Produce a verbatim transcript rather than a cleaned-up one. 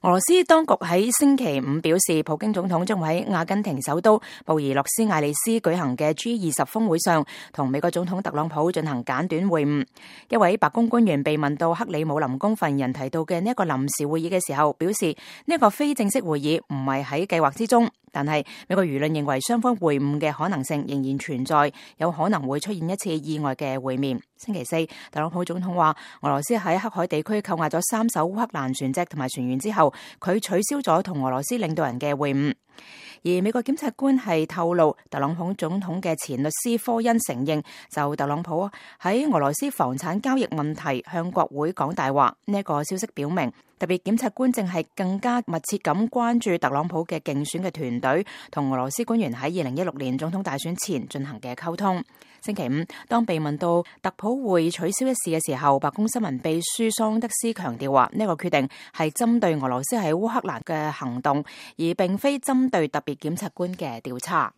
俄羅斯當局喺星期五表示，普京總統將會喺阿根廷首都布宜諾斯艾利斯舉行嘅 G 二十峰會上，同美國總統特朗普進行簡短會晤。一位白宮官員被問到克里姆林宮發言人提到嘅呢一個臨時會議嘅時候，表示呢一個非正式會議唔係喺計劃之中，但係美國輿論認為雙方會晤嘅可能性仍然存在，有可能會出現一次意外嘅會面。星期四，特朗普總統話，俄羅斯喺黑海地區扣押咗三艘烏克蘭船隻同埋船員之後，佢取消咗同俄羅斯領導人嘅會晤。而美國檢察官係透露，特朗普總統嘅前律師科恩承認，就特朗普喺俄羅斯房產交易問題向國會講大話。呢一個消息表明，特別檢察官正係更加密切咁關注特朗普嘅競選嘅團隊同俄羅斯官員喺二零一六年總統大選前進行嘅溝通。星期五，當被問到特普會取消一事嘅時候，白宮新聞秘書桑德斯強調話，呢個決定係針對俄羅斯喺烏克蘭嘅行動，而並非針對特別檢察官嘅調查。